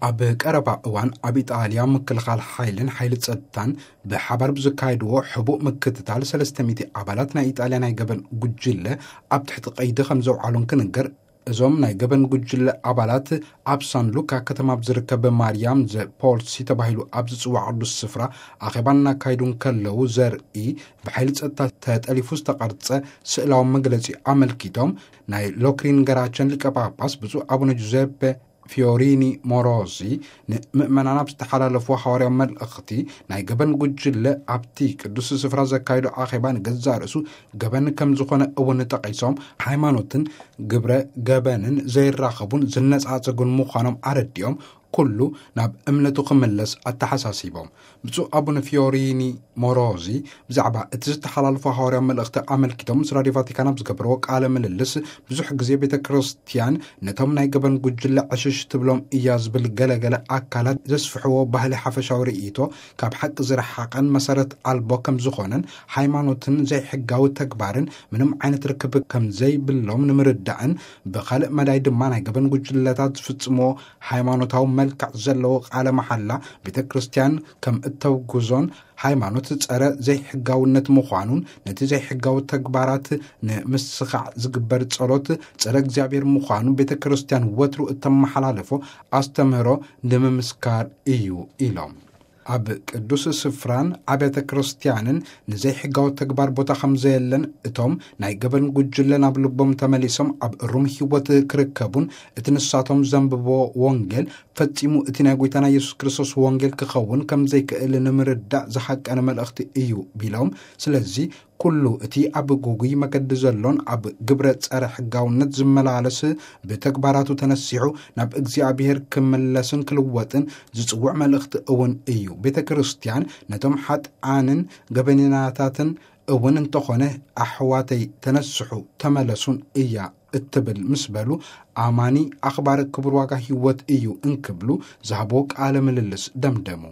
ኣብ ቀረባ እዋን ኣብ ኢጣልያ ምክልኻል ሓይልን ሓይሊ ጸጥታን ብሓባር ብዘካየድዎ ሕቡእ ምክትታል ሰለስተ ሚእቲ ኣባላት ናይ ኢጣልያ ናይ ገበን ጉጅለ ኣብ ትሕቲ ቀይዲ ከም ዘውዓሉን ክንገር፣ እዞም ናይ ገበን ጉጅለ ኣባላት ኣብ ሳን ሉካ ከተማ ኣብ ዝርከብ ማርያም ዘ ፖልሲ ተባሂሉ ኣብ ዝጽዋዕ ቅዱስ ስፍራ ኣኼባ እናካየዱ እንከለዉ ዘርኢ ብሓይሊ ጸጥታ ተጠሊፉ ዝተቐርጸ ስእላዊ መግለጺ ኣመልኪቶም፣ ናይ ሎክሪን ገራቸን ሊቀ ጳጳስ ብፁዕ ኣቡነ ጁዘፔ ፊዮሪኒ ሞሮዚ ንምእመናን ኣብ ዝተሓላለፉ ሃዋርያዊ መልእኽቲ፣ ናይ ገበን ጉጅለ ኣብቲ ቅዱስ ስፍራ ዘካየዶ ኣኼባ ንገዛእ ርእሱ ገበን ከም ዝኾነ እውን ጠቒሶም፣ ሃይማኖትን ግብረ ገበንን ዘይራኸቡን ዝነጻጸጉን ምዃኖም ኣረዲኦም፣ ኩሉ ናብ እምነቱ ክምለስ ኣተሓሳሲቦም። ብፁዕ ኣቡነ ፊዮሪኒ ሞሮዚ ብዛዕባ እቲ ዝተሓላለፉ ሃዋርያዊ መልእኽቲ ኣመልኪቶም ምስ ራድዮ ቫቲካን ኣብ ዝገበርዎ ቃለ ምልልስ፣ ብዙሕ ግዜ ቤተ ክርስቲያን ነቶም ናይ ገበን ጉጅለ ዕሽሽ ትብሎም እያ ዝብል ገለገለ ኣካላት ዘስፍሕዎ ባህሊ ሓፈሻዊ ርእይቶ ካብ ሓቂ ዝረሓቐን መሰረት ኣልቦ ከም ዝኾነን፣ ሃይማኖትን ዘይሕጋዊ ተግባርን ምንም ዓይነት ርክብ ከም ዘይብሎም ንምርዳእን፣ ብኻልእ መዳይ ድማ ናይ ገበን ጉጅለታት ዝፍጽምዎ ሃይማኖታዊ መልክዕ ዘለዎ ቃለ መሓላ ቤተ ክርስቲያን ከም እተውግዞን፣ ሃይማኖት ጸረ ዘይሕጋውነት ምዃኑን፣ ነቲ ዘይሕጋዊ ተግባራት ንምስኻዕ ዝግበር ጸሎት ጸረ እግዚኣብሔር ምዃኑ ቤተ ክርስቲያን ወትሩ እተመሓላለፎ ኣስተምህሮ ንምምስካር እዩ ኢሎም። ኣብ ቅዱስ ስፍራን ኣብያተ ክርስቲያንን ንዘይሕጋዊ ተግባር ቦታ ከም ዘየለን፣ እቶም ናይ ገበን ጉጅለ ናብ ልቦም ተመሊሶም ኣብ እሩም ህይወት ክርከቡን፣ እቲ ንሳቶም ዘንብቦ ወንጌል ፈጺሙ እቲ ናይ ጎይታና የሱስ ክርስቶስ ወንጌል ክኸውን ከም ዘይክእል ንምርዳእ ዝሓቀነ መልእኽቲ እዩ ቢሎም፣ ስለዚ ኩሉ እቲ ኣብ ጉጉይ መገዲ ዘሎን ኣብ ግብረ ጸረ ሕጋውነት ዝመላለስ ብተግባራቱ ተነሲሑ ናብ እግዚኣብሔር ክምለስን ክልወጥን ዝጽውዕ መልእኽቲ እውን እዩ። ቤተ ክርስቲያን ነቶም ሓጥኣንን ገበነኛታትን እውን እንተኾነ ኣሕዋተይ ተነስሑ ተመለሱን እያ እትብል ምስ በሉ፣ ኣማኒ ኣኽባሪ ክቡር ዋጋ ህይወት እዩ እንክብሉ ዝሃብዎ ቃለ ምልልስ ደምደሙ።